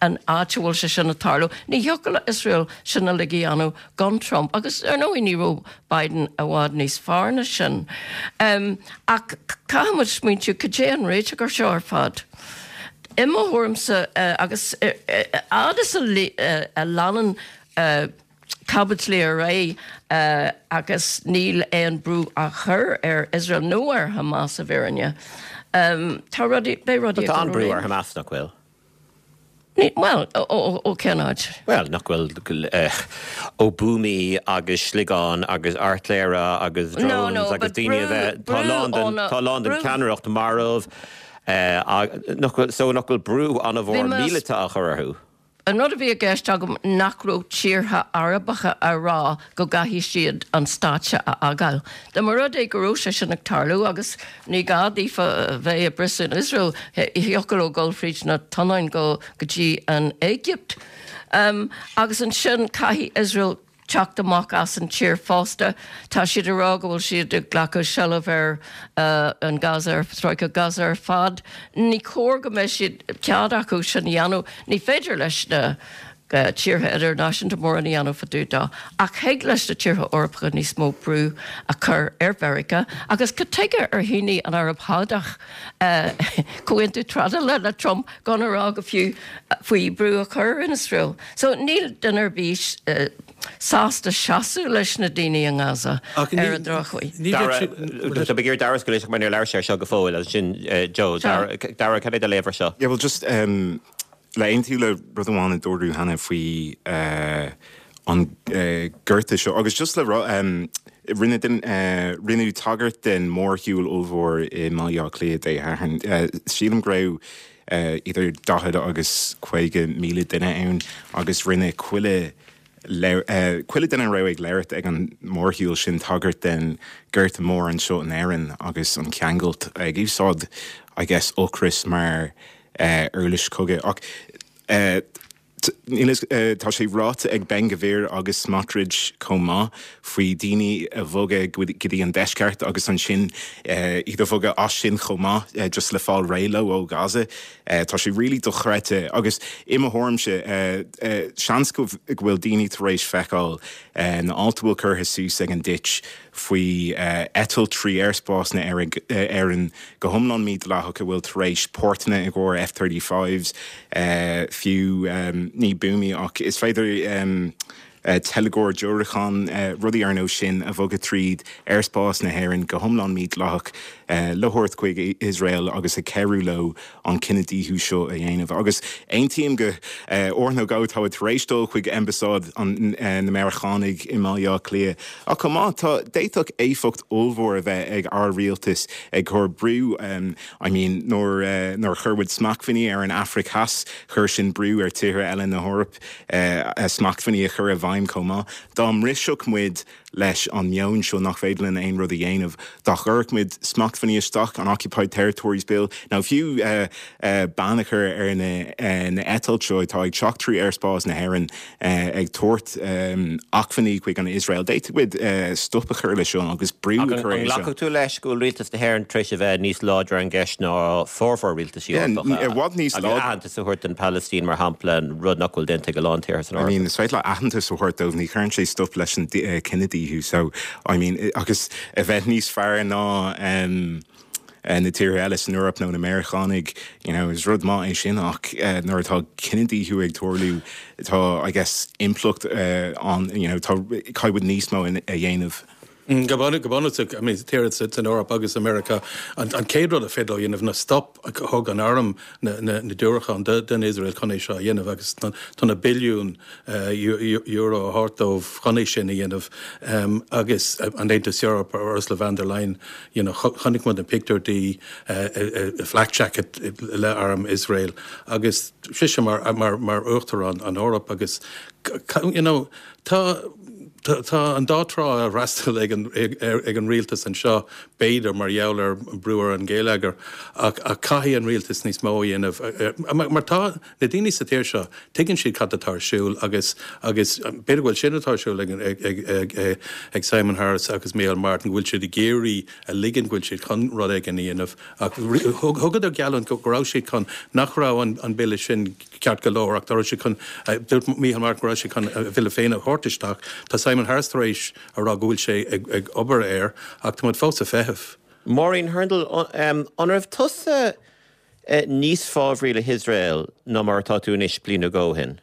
an áit a bhfuil sé sin ag tarlú. Ní thiocfadh le Iosrael sin uilig a dhéanamh gan Trump agus ar ndóigh ní raibh Biden i bhfad níos fearr ná sin. Ach caithfidh muid smaointiú cad é an réiteach ar seo ar fad. I mo thuairimse agus fhad is a leanann caibidlí ar aghaidh agus níl aon brú á chur ar Iosrael nó ar Hamas i bhfírinne, tá rudaí, beidh rudaí ag Tá dul an brú ó ar Hamas, nach bhfuil? Ní, bhuel, ó cén áit? Bhuel, nach bhfuil, ó buamaí agus sliogáin agus airtléire agus No, no, drones agus but daoine a brú, bheith, tá brú a lán den, ó na, tá a lán den brú. cheannaireacht marbh, nach bhfuil, so nach bhfuil brú Bhí an-mhór mé, míleata á chur orthu? An rud a bhí i gceist agam nach raibh tíortha Arabacha á rá go gcaithfidh siad an stát seo a fhágáil. Dá mba rud é go raibh sé sin ag tarlú, agus ní gá daofa bheith ag briseadh in Iosrael, thiocfadh leo dul fríd na tonnáin go dtí an Éigipt. Agus ansin caithfidh Iosrael teacht amach as an tír fosta. Tá siad ag rá go bhfuil siad ag glacadh seilbh ar an Gaza, ar Stráice Gaza ar fad. Ní cóir go mbeidh siad cead acu sin a dhéanamh. Ní féidir leis na tíortha idirnáisiúnta mórán a dhéanamh fá dtaobh dó. Ach thig leis na tíortha Eorpacha níos mó brú a chur ar Mheiriceá. Agus cad tuige ar shínigh an Araib Shádach comhaontú trádála le Trump gan a rá go fiú faoi brú a chur ar Iosrael? So níl duine ar bith sásta seasamh leis na daoine i nGaza ar an drochuair. Tá mé ag iarraidh Dara go mar níor labhair sé seo go fóill agus sin Joe Dara cad é do léamh air seo. Yeah, well just um, le aontú le rud amháin a dúradh cheana faoi uh, an uh, gorta seo agus just le um, rinne uh, rinneadh tagairt den mórshiúl ollmhór i mBaile Átha Cliath Dé Sathairn. Uh, sílim go raibh uh, idir daichead agus caoga míle duine ann agus rinne chuile chuile duine a raibh ag labhairt ag an mórshiúl sin tagairt den gorta mór anseo in Éirinn agus an ceangal ag úsáid I guess ocras mar uh, uirlis cogaidh ach uh, tá sé ráite ag Ben-Gvir agus Smotrich chomh maith faoi daoine a bhogadh go dtí an deisceart agus ansin iad a bhogadh as sin chomh maith just le fáil réidh leo ó Gaza. Tá sé really dochreidte agus i mo thuairimse seans go bhfuil daoine tar éis feiceáil na ailt a bhfuil curtha suas ag an Ditch faoi eitilt trí aerspás na Éireann go hiomlán mídhleathach a bhfuil tar éis páirteanna i gcomhair F thirty fives fiú ní buamaí ach is féidir teilgeoir diúracán rudaí ar nós sin a bhogadh tríd aerspás na hÉireann go hiomlán mídhleathach le thabhairt chuig Iosrael agus ag cabhrú leo an cinedhíothú seo a dhéanamh. Agus aontaím go uair nó dhó tá tar éis dul chuig ambasáid na Meiriceánaigh i mBaile Átha Cliath. Ach chomh maith tá d'fhéadfadh éifeacht ollmhór a bheith ag ár rialtas ag cur brú I mean nuair nuair chuir muid smachtbhannaí ar an Afraic Theas chuir sin brú ar tíortha eile na hEorpa smachtbhannaí a chur i bhfeidhm chomh maith. Dá mbrisfeadh muid leis an meon seo nach féidir linn aon rud a dhéanamh. Dá gcuirfeadh muid smachtbhannaí isteach an Occupied Territories Bill, nó fiú uh, uh, ban a chur ar na, uh, na eitilt seo atá ag teacht trí aerspás na hÉireann uh, ag tabhairt um, acmhainní chuig an Iosrael. D'fhéadfadh muid uh, stop a chur leis seo agus brú a chur An nglacfadh tú leis go bhfuil rialtas na hÉireann tar éis a bheith níos láidre ar an gceist ná formhór rialtas Eorpach. I bhfad níos láidre. Aitheantas a thabhairt don Palestine mar shampla an rud nach bhfuil déanta ag a lán tíortha san I mean, is féidir aitheantas a thabhairt dóibh ní chuireann sé stop leis an uh, cinedhíothú so I mean agus a bheith níos fearr ná um, na tíortha eile san Eoraip nó na Meiriceánaigh you know, is rud maith é sin ach uh, nuair atá cinedhíothú ag tarlú tá I guess impleacht uh, an you know, tá caithfidh níos mó a dhéanamh. Mm, go bunúsach I mean, tíortha san Eoraip agus America an, an chéad rud a féidir dhéanamh ná stop a thug an arm na, na, na diúracáin den Israel chun é seo a dhéanamh agus tá na billiún uh, euro a thabhairt dóibh chun é sin a dhéanamh um, agus an Aontas Eorpach Ursula von der Leyen you know, chonaic muid an pictiúr di uh, uh, flak jacket le arm Israel agus sise mar, mar, mar uachtarán an Eoraip agus you know, tá Tá an dá trá á fhreastal ag an, ag, ag an rialtas anseo b'fhéidir mar gheall ar brú ar an gheilleagar ach ach caithfidh an rialtas níos mó a dhéanamh. Mar tá na daoine sa tír seo tuigeann siad cad atá ar siúl agus agus b'fhéidir go bhfuil sin atá ar siúl ag, ag, ag, ag, ag, ag Simon Harris agus Micheál Martin go bhfuil siad ag iarraidh a ligean go bhfuil siad chun rud éigin a dhéanamh ach thugadar geallúint go raibh siad chun nach raibh an, an bille sin ceart go leor ach tá siad chun dúirt Micheál Martin go raibh siad chun a bhille féin a thabhairt isteach. Tá Simon Harris tar éis a rá go bhfuil sé ag, ag obair air ach tá muid fós ag feitheamh. Maureen Hurndall, um, an raibh tusa uh, níos fábhraí le hIosrael ná mar atá tú anois bliain ó shin?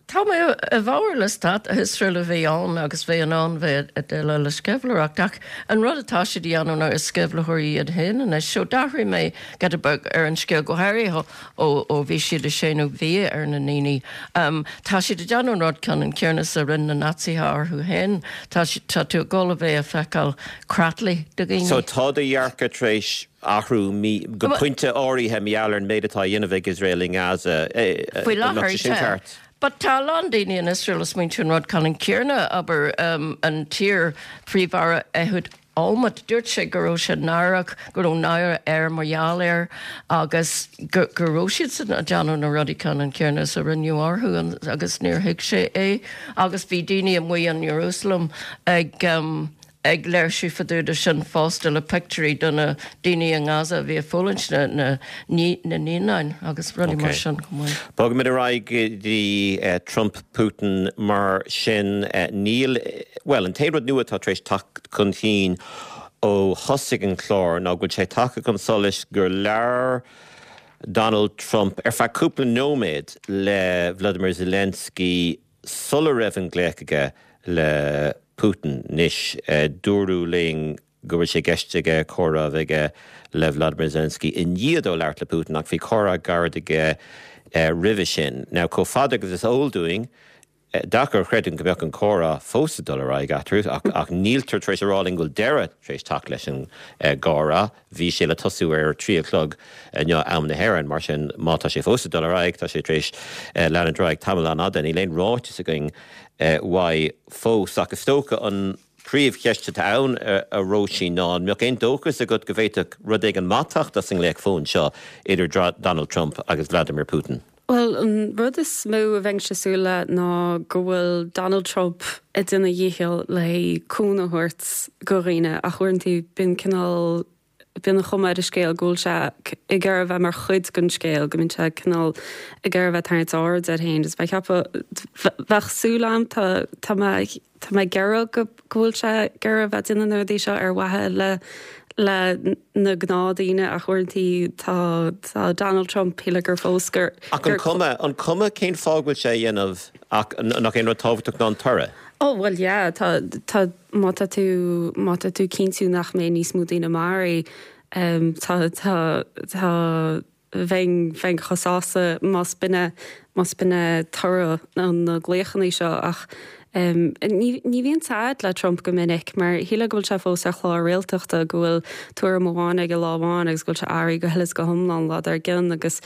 Tá mé i bhfabhar le stát Iosrael a bheith ann agus bheith in ann bheith ag déileáil le sceimhlitheoireacht ach an rud atá siad a dhéanamh ná is sceimhlitheoirí iad féin anois. So d'athraigh mé giota beag ar an scéal go háirithe ó ó bhí siad ag séanadh bia ar na ndaoine. Um, tá siad ag déanamh an rud ceannann céanna is a rinne na Naitsithe orthu féin. Tá tá tú ag dul a bheith ag feiceáil creatlaí de dhaoine. So tá do dhearcadh tar éis athrú go pointe áirithe mar gheall ar an méid atá á dhéanamh ag Iosrael i nGaza. Faoi láthair sin ceart. But tá a lán daoine in Israel ag smaointiú an rud ceannann céanna abair um, an t-iar-phríomh-aire Ehud Olmert dúirt sé go raibh sé náireach go raibh náire air mar gheall air agus go go raibh siad san ag déanamh na rudaí ceannann céanna is a rinneadh orthu agus níor thuig sé é agus bhí daoine amuigh in Jerusalem ag um, ag léirsiú fá dtaobh de sin fosta le pictiúirí de na daoine i nGaza a bhí ag fulaingt na na na naíonáin agus rudaí mar sin chomh maith. Bogfaimid ar aghaidh go dtí Trump Putin mar sin níl, bhuel an t-aon rud nua atá tar éis teacht chun cinn ó thosaigh an clár ná go bhfuil sé tagtha chun solais gur labhair Donald Trump ar feadh cúpla nóiméad le Vladimir Zelensky sula raibh an glaoch aige le Putin anois. Dúradh linn go bhfuil sé i gceist aige comhrá a bheith aige le Vladimir Zelensky i ndiaidh dó labhairt le Putin ach bhí comhrá gairid aige roimhe sin. Now chomh fada agus is eol dúinn, deacair a chreidiúint go mbeadh an comhrá fós ag dul ar aghaidh eatarthu ach ach níltear tar éis a rá linn go bhfuil deireadh tar éis teacht leis an gcomhrá. Bhí sé le tosú ar trí a chlog inniu am na hÉireann, mar sin má tá sé fós ag dul ar aghaidh tá sé tar éis leanúint ar aghaidh tamall an-fhada. Níl aon ráiteas againn uaidh fós ach is dócha an príomhcheist atá ann a Róisín ná an mbeadh aon dóchas agat go bhféadfadh rud éigin maith teacht as an nglaoch fóin seo idir Donald Trump agus Vladimir Putin? Bhuel, an rud is mó a bheinnse ag súil le ná go bhfuil Donald Trump ag déanamh a dhícheall le cúnamh a thabhairt go dhaoine ach uaireanta bíonn cineál bíonn an chuma ar an scéal go bhfuil sé ag iarraidh a bheith mar chuid den scéal, go mbíonn sé cineál ag iarraidh a bheith ag tarraingt aird air féin. Is bheadh ceapadh bheadh súil agam tá tá mé tá mé ag iarraidh go go bhfuil sé ag iarraidh a bheith ag déanamh na rudaí seo ar mhaithe le le na gnáthdaoine ach uaireanta tá tá Donald Trump shílfeá gur fós gur Ach an cuma an cuma cén fáth go bhfuil sé a dhéanamh ach nach é an rud tábhachtach ná an toradh? Oh well yeah tá tá má tá tú má tá tú cinntiú nach mbeidh níos mó daoine maraithe um, tá tá tá bheinn bheinn chomh sásta más b'in más b'in toradh na glaochanna seo ach um, ní ní bhíonn sad le Trump go minic mar shílfeá go bhfuil sé fós ar chlár réaltachta go bhfuil tuairim amháin aige lá amháin agus go bhfuil sé athraithe go huile is go hiomlán lá dár gcionn agus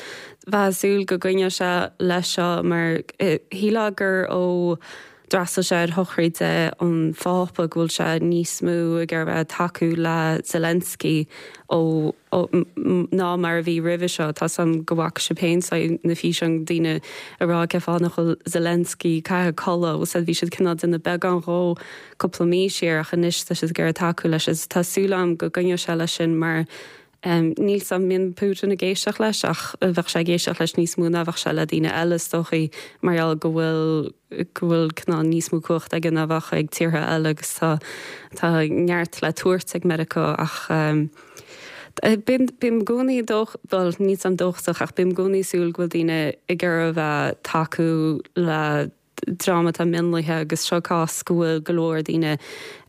bheadh súil go gcoinneodh sé leis seo mar shílfeá gur ó d'fhreastail sé ar shochraid an Phápa go bhfuil sé níos mó ag iarraidh bheith tacú le Zelensky ó ná mar a bhí roimhe seo tá sam go bhfaca sibh féin na físeáin daoine ag rá cén fáth nach bhfuil Zelensky caithfidh codladh said bhí siad cineál déanamh beagán dhó cúpla mí siar ach anois tá siad ag iarraidh tacú leis is tá súil agam go gcoinneoidh sé leis sin mar Um, níl sam min Putin ag éisteacht leis ach bheadh sé ag éisteacht leis níos mó ná bheadh sé le daoine eile is dóichí mar gheall go bhfuil go bhfuil cineál níos mó cumhacht aige ná bheadh ag tíortha eile agus tá tá neart le tabhairt ag Meiriceá ach um, Bím i gcónaí dóch well níl sam dóchasach ach bím i gcónaí súil go bhfuil daoine ag iarraidh bheith tacú le dream atá mionlaithe agus seo cás go bhfuil go leor daoine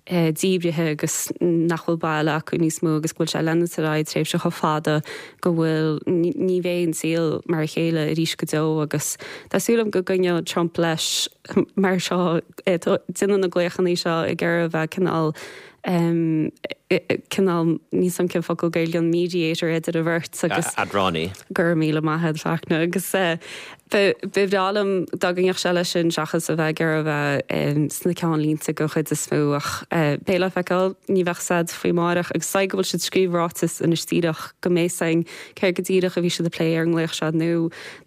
eh, díbrithe agus nach bhfuil baile acu níos mó agus go bhfuil sé leanúint ar aghaidh tréimhse chomh fada go bhfuil ní bheidh an saol mar a chéile arís go deo agus tá súil agam go gcoinneoidh Trump leis mar seo eh, déanamh na glaochanna seo ag iarraidh bheith cineál um, cineál níl sam cén focal Gaeilge an mediator idir a bheirt agus Eadránaí. Gur míle maith Fachtna agus ba bhreá liom dá gcoinneodh sé leis sin seachas a bheith ag bheith sna ceannlínte den chuid is mó ach beidh le feiceáil ní bheadh said faoi amárach agus sa go bhfuil siad scríobh ráiteas anois díreach go mbeidh san céard go díreach a bhí siad ag plé ar an nglaoch seo nó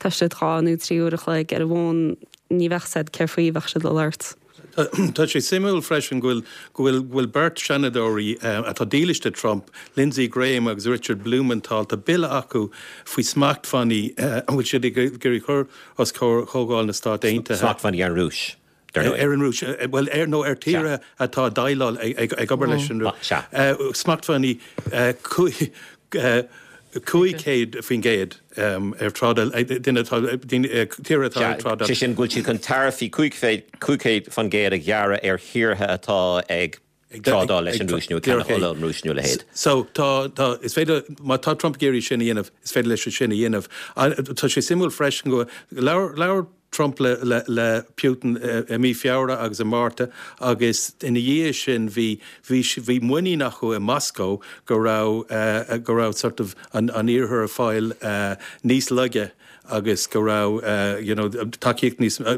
tá siad dhá nó trí uair a chloig ar an bhfón ní bheadh said céard faoi bheadh siad le labhairt. Tá sé suimiúil freisin go bhfuil bhfuil beirt seanadóirí atá dílis do Trump, Lindsey Graham agus Richard Blumenthal, tá bille acu faoi smachtbhannaí an bhfuil siad ag iarraidh cur os comhair Chomhdháil na Stát Aontaithe. Smachtbhannaí ar an Rúis. Ar an Rúis, well ar nó ar tíortha atá déileáil ag obair leis an Rúis. Smachtbhannaí cúig chéad faoin gcéad ar trádáil duine tíortha atá ag trádáil. Sé sin go bhfuil siad chun taraifí cúig chéad faoin gcéad a ghearradh ar thíortha atá ag trádáil leis an Rúis nó ag ceannach ola ón Rúis nó a leithéid. So tá tá is féidir má tá Trump ag iarraidh sin a dhéanamh is féidir leis sin a dhéanamh. Tá sé suimiúil freisin go labhair labhair Trump le le le Putin i mí Feabhra agus i Márta agus ina dhiaidh sin bhí bhí bhí muinín acu i Moscow go raibh uh, go raibh sort of an an iarthar ag fáil uh, níos laige agus go raibh uh, you know tacaíocht níos uh,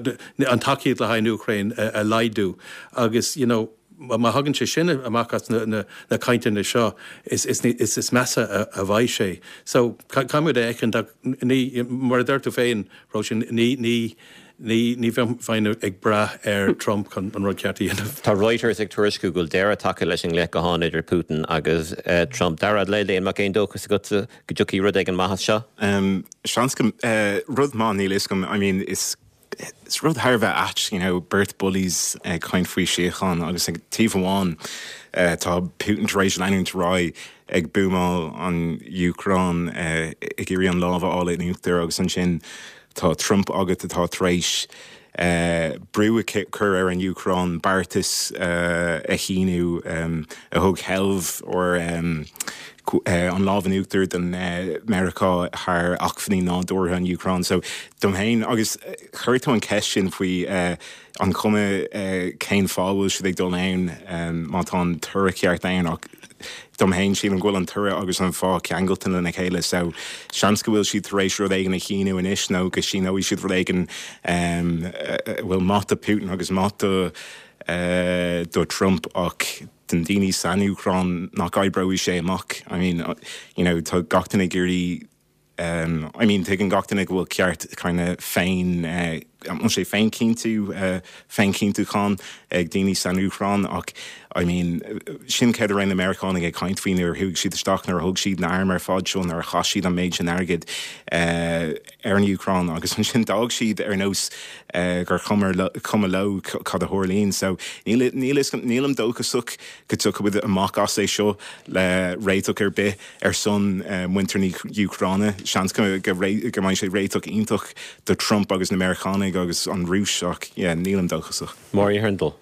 an tacaíocht le haghaidh an Úcráin uh, a laghdú agus you know má thagann sé sin amach as na, na, na cainteanna seo is, is, is, is measa a, a bheidh sé. So caithfimid a fheiceáil ní mar a deir tú féin sin ní ní ní ní bheinn ag brath ar Trump chun an rud ceart a dhéanamh. Tá Reuters ag tuairisciú go bhfuil deireadh tagtha leis an nglaoch gutháin idir Putin agus uh, Trump. Dara le an mbeadh aon dóchas agat go dtiocfaidh rud éigin maith as seo? Um, Seans go uh, rud maith níl is I mean is is rud thar a bheith ait, you know, beirt bullies uh, caint faoi síocháin agus ag taobh amháin uh, tá Putin tar éis leanúint ar aghaidh ag buamáil an Úcráin uh, ag iarraidh an lámh a fháil in uachtar agus ansin tá Trump agat atá tar éis brú a chur ar an Úcráin beartas a shíniú a thug seilbh or an lámh in uachtar don Meiriceá thar acmhainní nádúrtha an Úcráin. So dom féin agus chuir tú an ceist sin faoi an chuma cén fáth bhfuil siad ag dul ann má tá an toradh ceart ann ach dom féin sílim go bhfuil an toradh agus an fáth ceangailte lena chéile so seans go bhfuil siad tar éis rud éigin a shíniú anois nó go síneoidh siad rud éigin bhfuil maith do Putin agus maith do do Trump ach den daoine san Úcráin nach oibreoidh sé amach. I mean, you know, tá gach duine ag iarraidh um, I mean, tuigeann gach duine go bhfuil ceart kind of féin uh, an sé féinchinntiú uh, féinchinntiúchán ag daoine san Úcráin ach I mean, sin céard a raibh na Meiriceánaigh ag caint faoi nuair a chuaigh siad isteach nuair a thug siad na hairm ar fad seo nuair a chaith siad an méid sin airgid uh, ar an Úcráin agus ansin d'fhág siad ar nós uh, gur cuma leo cad a tharlaíonn so níl nílim dóchasach go dtiocfaidh amach as é seo le réiteach ar bith ar son uh, muintir na hÚcráine seans go go mbeidh sé réiteach iontach do Trump agus na Meiriceánaigh agus an Rúis ach yeah, nílim dóchasach. Máirín Hurndall.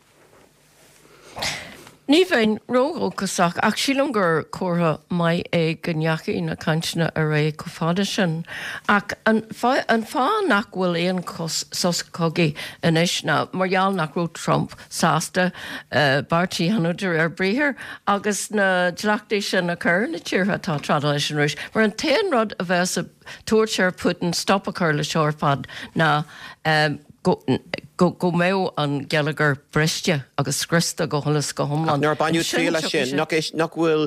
Ní bheinn ródhóchasach ach sílim gur comhartha maith é go ndeachaigh na cainteanna ar aghaidh chomh fada sin. Ach an fáth nach bhfuil aon sos cogaidh anois ná mar gheall nach raibh Trump sásta bearta a dhéanamh de réir briathar agus na dleachtaí sin a chur na tíortha atá trádáil leis an Rúis. Mar an t-aon rud a bheas ag tabhairt ar Putin stop a chur le seo ar fad ná go go mbeadh an geilleagar briste agus scriosta go huile is go hiomlán. Nár baineadh triail as sin nach nach bhfuil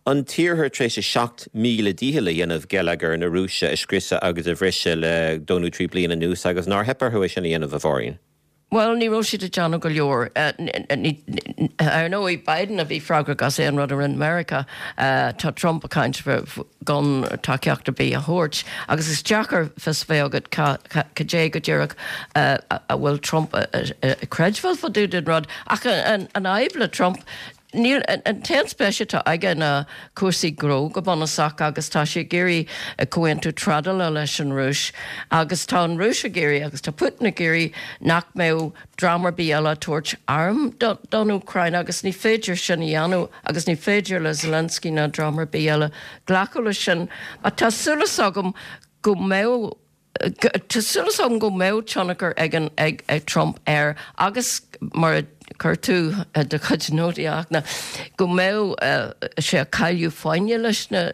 an tíortha tar éis a seacht míle dícheall a dhéanamh geilleagar na Rúise a scriosadh agus a bhriseadh le dó nó trí bliana anuas agus nár theip orthu é sin a dhéanamh a Mháirín. Well, ní raibh siad ag déanamh go leor. Ar ndóigh Biden a bhí freagrach as aon rud a rinne Meiriceá, tá Trump ag caint gan tacaíocht ar bith a thabhairt. Agus is deacair fios bheith agat cad é go díreach a bhfuil Trump ag creidbheáil fá dtaobh den rud. Ach an fhadhb le Trump, Níl an t-aon spéis atá aige ná cúrsaí gnó go bunúsach agus tá sé ag iarraidh comhaontú trádála leis an Rúis agus tá an Rúis ag iarraidh agus tá Putin ag iarraidh nach mbeadh dream ar bith eile ag tabhairt arm don Úcráin agus ní féidir sin a dhéanamh agus ní féidir le Zelensky ná dream ar bith eile glacadh leis sin. Ach tá súil agam go mbeadh Tá súil agam go mbeadh tionchar ag an ag ag Trump air agus mar a chuir tú do chuid nótaí ach ná go mbeadh sé ag cailleadh foighne leis na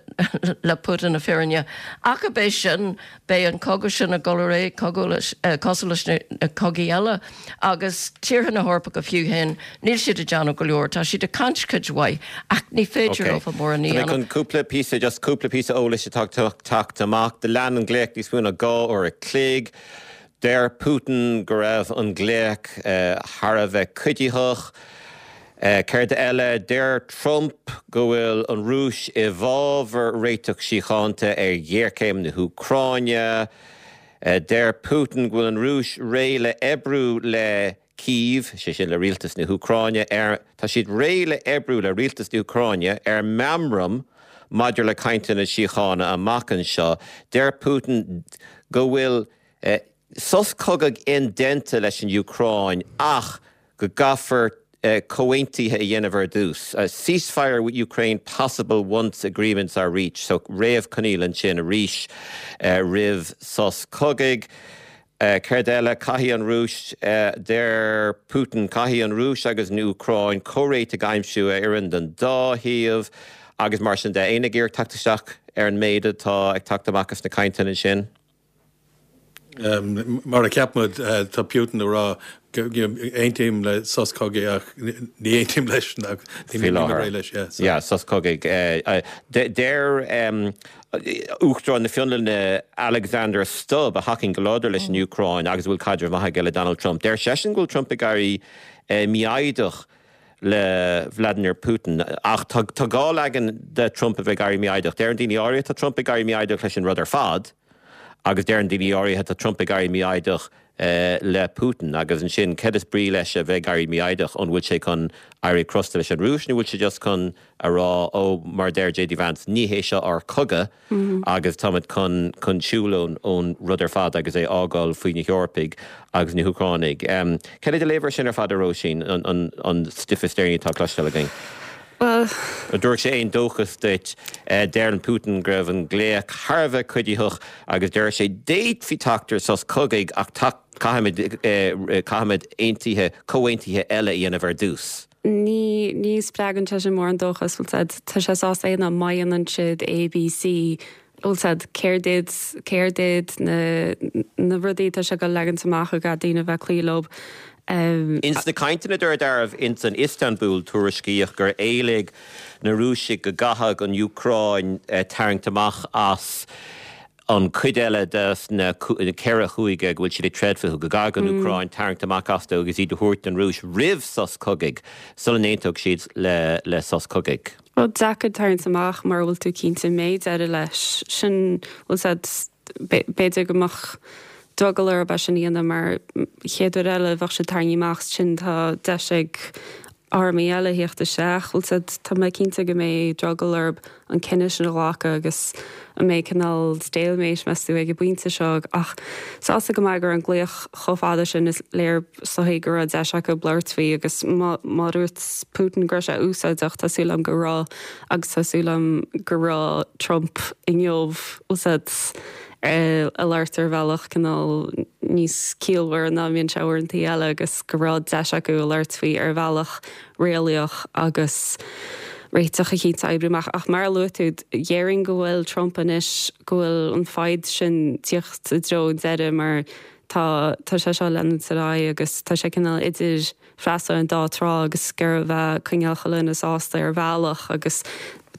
le Putin na fírinne. Ach ab é sin beidh an cogadh sin ag dul ar aghaidh cogadh leis cosúil leis na cogaí eile agus tíortha na hEorpa go fiú féin níl siad ag déanamh go leor, tá siad ag caint cuid mhaith ach ní féidir leo mórán a Tá mé dhéanamh. chun cúpla píosa, just cúpla píosa eolais atá ag teacht amach. Do lean an glaoch níos mó ná dhá uair a chloig. Deir Putin go raibh an glaoch thar a bheith cuiditheach. Céard eile? Deir Trump go bhfuil an Rúis i bhfabhar réiteach síochánta ar ghéarchéim na hÚcráine. Deir Putin go bhfuil an Rúis réidh le oibriú le Kyiv, sé sin le rialtas na hÚcráine, ar tá siad réidh le oibriú le rialtas na hÚcráine ar meamram maidir le cainteanna síochána amach anseo. Deir Putin go bhfuil sos cogaidh indéanta leis an Úcráin ach go gcaithfear comhaontuithe a dhéanamh ar dtús. Ceasefire with Ukraine possible once agreements are reached. So réamhchoinníoll ansin arís roimh sos cogaidh. Céard eile? Caithfidh an Rúis, deir Putin, caithfidh an Rúis agus an Úcráin comhréiteach a aimsiú a oireann don dá thaobh agus mar sin de. Éinne ag iarraidh teacht isteach ar an méid atá ag teacht amach as na cainteanna sin? Mar a cheap muid, tá Putin ag rá aontaím le sos cogaidh ach ní aontaím leis Faoi láthair. Yeah, sos cogaidh. Deir Uachtarán na Fionlainne Alexander Stubb, a thacaíonn go láidir leis an Úcráin agus a bhfuil caidreamh maith aige le Donald Trump, deir seisean go bhfuil Trump ag éirí mífhoighdeach le Vladimir Putin. Ach tá dhá leagan de Trump a bheith ag éirí mífhoighdeach. Deireann daoine áirithe tá Trump ag éirí mífhoighdeach leis an rud ar fad, agus deireann daoine áirithe tá Trump ag éirí mífhoighdeach le Putin agus ansin céard is brí leis a bheith ag éirí mífhoighdeach an bhfuil sé chun éirí crosta leis an Rúis nó bhfuil sé just chun a rá ó mar deir JD Vance ní hé seo ár cogadh agus táimid chun chun siúl ón ón rud ar fad agus é fhágáil faoi na hEorpaigh agus na hÚcránaigh. Um, Céard é do léamh air sin ar fad a Róisín an, an, an stuif is deireanaí atá cloisteáil againn? Well, A dúirt sé aon dóchas duit deir Putin go raibh an glaoch thar a bheith cuiditheach agus deir sé d'fhéadfaí teacht ar sos cogaidh ach caithfimid caithfimid aontuithe comhaontuithe eile a dhéanamh ar dtús. Ní ní spreagann sé sin mórán dóchas bhfuil said tá sé sásta é má dhéanann siad ABC bhfuil said céard iad céard iad na na rudaí tá sé go legan amach go daoine bheith cloí leo. Um, Ins na cainteanna darbh ins an Istanbul tuairiscíodh gur éiligh na Rúisigh go gcaithfeadh an Úcráin eh, tarraingt amach as an cuid eile de na ceithre chúige go bhfuil siad ag troid fúthu go gcaithfeadh an Úcráin tarraingt amach astu agus iad a thabhairt don Rúis roimh sos cogaidh sula n-aontódh siad le le sos cogaidh. Well deacair tarraingt amach mar bhfuil tú cinnte méid eile leis sin bhfuil said b'fhéidir go mbeadh drogall orthu sin a dhéanamh mar chéad uair eile bheadh siad tarraingthe amach sin tá deis ag armaí eile theacht isteach bhfuil said tá mé cinnte go mbeidh drogall orthu an cinneadh sin a ghlacadh agus an mbeidh cineál stalemate measú ag an bpointe seo ach sásta go maith gur an glaoch chomh fada sin is léir sochaí go raibh deis acu labhairt faoi agus má dúirt Putin go raibh sé úsáideach tá súil agam go raibh agus tá súil agam go raibh Trump inniu úsáid a labhairt ar bhealach cineál níos ciallmhaire ná bhíonn sé uaireanta eile agus go raibh deis acu a labhairt faoi ar bhealach réalaíoch agus réiteach eicínt a oibriú amach ach mar a luaigh tú déarfainn go bhfuil Trump anois go bhfuil an fhadhb sin teacht i dtreo deireadh mar tá tá sé seo leanúint ar aghaidh agus tá sé cineál idir freastal an dá trá agus gur bheith coinneáil chuile dhuine sásta ar bhealach agus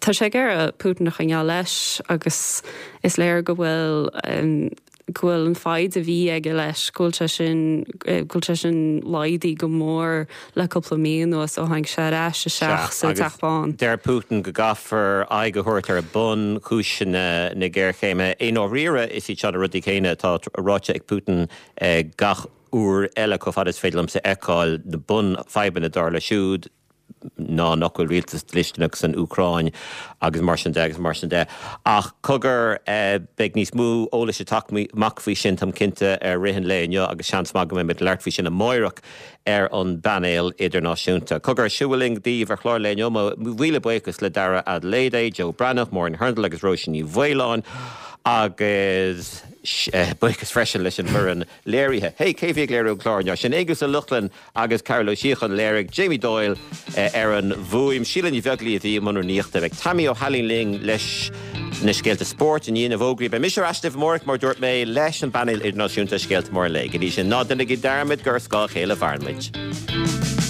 tá sé ag iarraidh Putin a choinneáil leis agus is léir go bhfuil um, go bhfuil an fhadhb a bhí aige leis go bhfuil sé sin go bhfuil sé sin laghdaithe go mór le cúpla mí anuas ó tháinig sé ar ais isteach sa Teach Bán. Deir Putin go gcaithfear aghaidh a thabhairt ar bunchúiseanna na géarchéime. I ndáiríre is iad seo na rudaí céanna atá ráite ag Putin gach uair eile chomh fada is féidir liomsa a fheiceáil na bunfhadhbanna dar leis siúd ná nach bhfuil rialtas dlisteanach san Úcráin agus mar sin de agus mar sin de. Ach cogar beidh níos mó eolais ag teacht amach faoi sin táim cinnte ar rith an lae inniu agus seans maith go mbeimid ag labhairt faoi sin amárach ar an bpainéal idirnáisiúnta. Cogar siúling díobh ar chlár an lae inniu míle buíochas le Dara Adelaide, Joe Breathnach, Maureen Hurndall agus Róisín Ní Mhaoláin agus buíochas freisin leis an bhfoireann léirithe. Hey, cé bhí ag léiriú an chlár sin Aonghus Ó Lochlainn agus Carol Ó Síocháin léirigh Jamie Doyle ar an bhfuaim Síle Ní Bheaglaoich a bhí i mbun rúnaíochta beidh Tammy Ó hAilín linn leis na scéalta spóirt i ndiaidh na bhfógraí. Beidh mise ar ais amárach mar dúirt mé leis an bpainéal idirnáisiúnta scéalta móra an lae. Go dtí sin ná déanaigí dearmad gur ar scáth a chéile a mhaireann muid.